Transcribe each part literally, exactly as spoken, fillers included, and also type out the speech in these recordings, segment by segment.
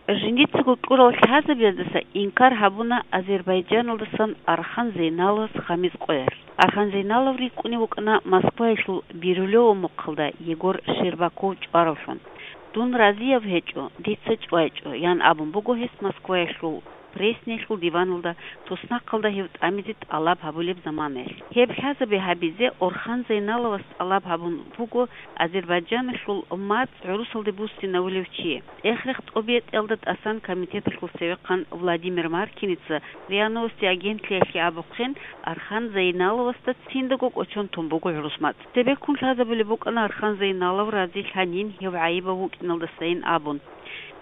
Жиндицаго кьурал лъазабаздаса инкар гьабуна Азербайджаналдасан Архан Зейналовас гъамиз къоялъ. Архан Зейналов рикӀкӀунев вукӀана Москваялъул Бирюлево мухъалда Егор Щербаков чӀваравлъун. «Дун разияб гьечӀо, дица чӀвайчӀо», – ян абун буго гьес Москваялъул Пресниялъул диваналда, туснахъалда гьев тӀамизе тӀалаб гьабулеб заманаялъ. Гьеб лъазабе гьабизе Орхан Зейналовас тӀалаб гьабун буго Азербайджаналъул мацӀ гӀурусалде буссинавулев чи. ЦӀех-рех тӀобитӀиялда тӀасан комитеталъул цевехъан Владимир Маркиница РИА Новости агентлъиялъе абухъин, Архан Зейналовасда циндаго кӀочон тун буго гӀурус мацӀ. Цебеккун лъазабулеб букӀана Архан Зейналов разилъанин гьев гӀайибав вукӀиналдасайин абун.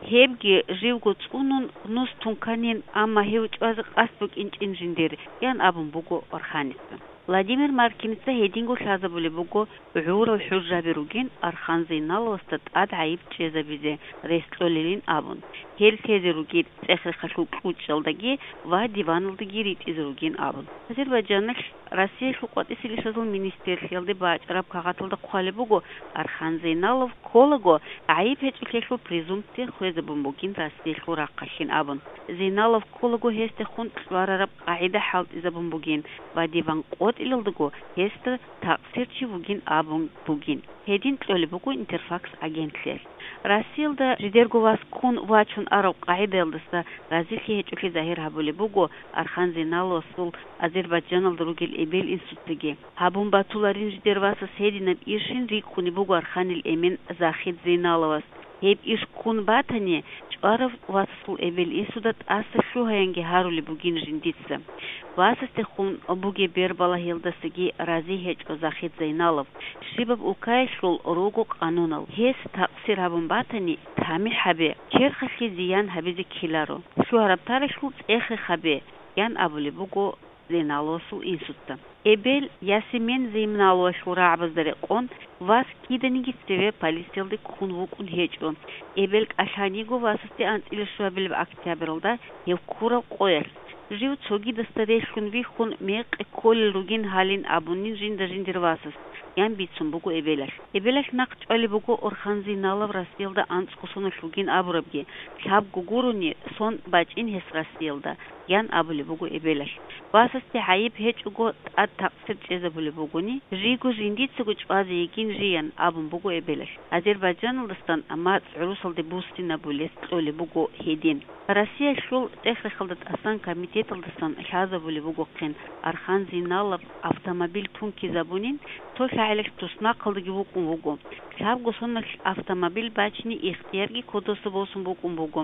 Гьебги живго цӀунун нус тунканин, амма гьев чӀвазе къасд букӀинчӀин жиндир, – ян абун буго Орханица. Владимир Маркиница гьединго лъазабулеб буго гӀурал хӀужаби ругин Архан Зейналовасда тӀад гӀайиб чӀезабизе рес кьолилин абун, гьел лъезе ругел цӀех-рехалъул кьучӀалдаги ва диваналдаги ритӀизе ругин абун. Азербайджаналъ Россиялъул къватӀисел ишазул министрлъиялде бачӀараб кагъаталда хъвалеб буго, Архан Зейналов кколаго, гӀайиб гьечӀолъиялъул презумпция хвезабун бугин Россиялъул рахъалъин абун. Зейналов кколаго гьесдехун кьварараб къагӀида хӀалтӀизабун бугин ва диван къотӀилалдаго гьесда такъсир чи вугин абун бугин. Гьедин кьолеб буго Интерфакс агентлъиялъ. Россиялда жидерго вас ккун вачун арав къагӀидаялдаса разилъи гьечӀолъи загьир гьабулеб буго Архан Зейналовасул Азербайджаналда ругел эбел-инсуцаги. Гьабун батуларин жидер васас гьединаб иршин рикӀкӀунеб буго Арханил эмен Захид Зейналовас. Гьеб иш ккун батани, чӀварав васасул эбел-инсуда тӀаса лъугьаянги гьарулеб бугин жиндица. Васасдехун бугеб бербалагьиялдасаги рази гьечӀо Захид Зейналов, щибаб улкаялъул руго къанунал. Гьес такъсир гьабун батани, тамихӀ гьабе, черхалъе зиян гьабизе ккеларо. Лъугьараб тарихлъул цӀех-рех гьабе, – ян абулеб буго Зейналовасул инсуца. Эбел Ясимен Зейналовасул рагӀабазда рекъон вас киданиги цеве полициялде ккун вукӀун гьечӀо. Эбел кӀалъаниго васасде анцӀила щуабилеб октябралда гьев ккураб къоялъ. Жив цогидасда релълъун вихьун мекъи кколел ругин гьалин абунин жинда жиндир васас, – ян бицун буго эбелалъ. Эбелалъ нахъ чӀвалеб буго Орхан Зейналов Россиялда анцӀго соналъ вугин абурабги, лъабго гурони сон бачӀин гьес Россиялда, – ян абулеб буго эбелалъ. Васасде гӀайиб гьечӀого тӀад такъсир чӀезабулеб бугони, жийго жиндицаго чӀвазе йигин жи, – ян абун буго эбелалъ. Азербайджаналдасан мацӀ гӀурусалде буссинабулес кьолеб буго гьедин. Россиялъул цӀех-рехалда тӀасан комитеталдасан лъазабулеб бугохъин, Архан Зейналов автомобиль тункизабунин, цо лъагӀалилъ туснахъалдаги вукӀун вуго. Лъабго соналъ автомобиль бачине ихтиярги кодоса босун букӀун буго.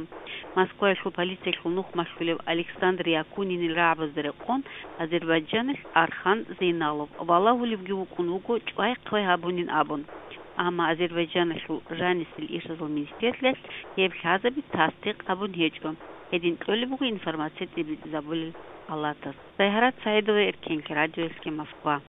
Москваялъул полициялъул нух малъулев Александр Якунинил рагӀабазда рекъон, Азербайджаналъ Архан Зейналов валагьулевги вукӀун вуго чӀвай-хъвай гьабунин абун. Амма Азербайджаналъул жанисел ишазул министрлъиялъ гьеб лъазаби тасдикъ гьабун гьечӀо. Гьедин кьолеб буго информация тӀибитӀизабулел палатас. Сайгьарат Саидова, Эркен Кирадиевский, Москва.